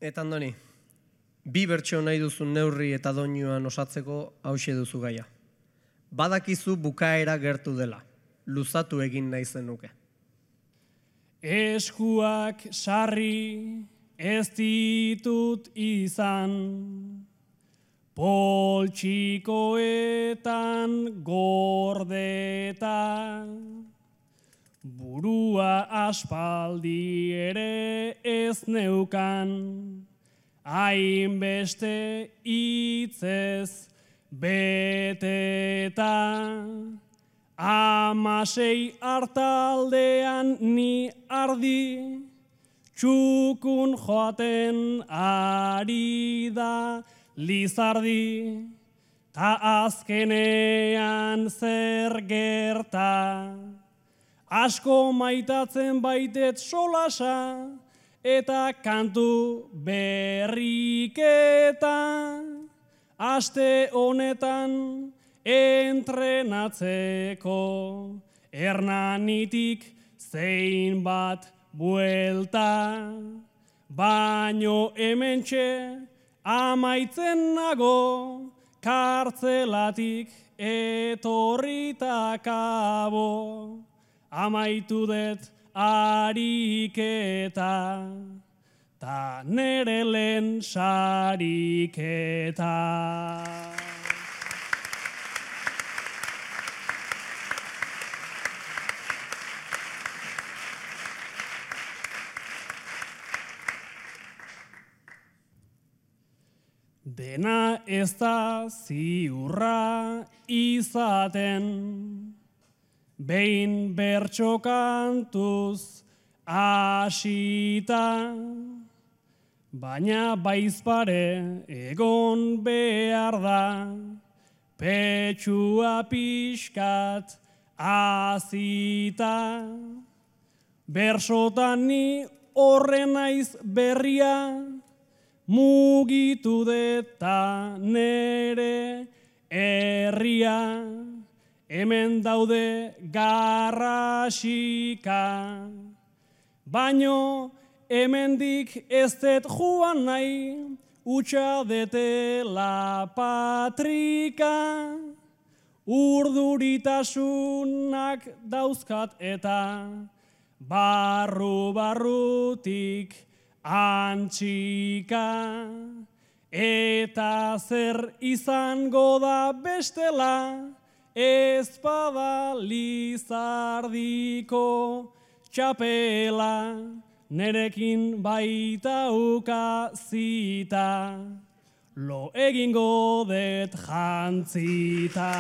Eta Andoni, bi bertso nahi duzu neurri eta doinuan osatzeko hauxe duzu gaia. Badakizu bukaera gertu dela, luzatu egin nahi zenuke. Eskuak sarri ez ditut izan, poltsikoetan gordeta, burua aspaldi ere ez neukan, hainbeste hitzez beteta. 16 hartaldean ni ardi, txukun joaten ari da lizardi, ta azkenean zer gerta. Asko maitatzen baitet solasa, eta kantu berriketa. Aste honetan entrenatzeko, Hernanitik zein bat buelta. Baino hementxe amaitzen nago, kartzelatik etorrita kabo. Amaitu dut ariketa, ta nere lehen sariketa. Dena ez da ziurra izaten, behin bertso kantuz hasita, baina baizpare egon behar da, petxua pixkat azita. Bersotan ni horren naiz berria, mugitu deta nere herria. Hemen daude garrasika, baino hemendik ez dut joan nahi, utxa detela patrika. Urduritasunak dauzkat eta barru-barrutik antxika. Eta zer izango da bestela, ez bada lizardiko txapela, nerekin baitauka zita, lo egingo det jantzita.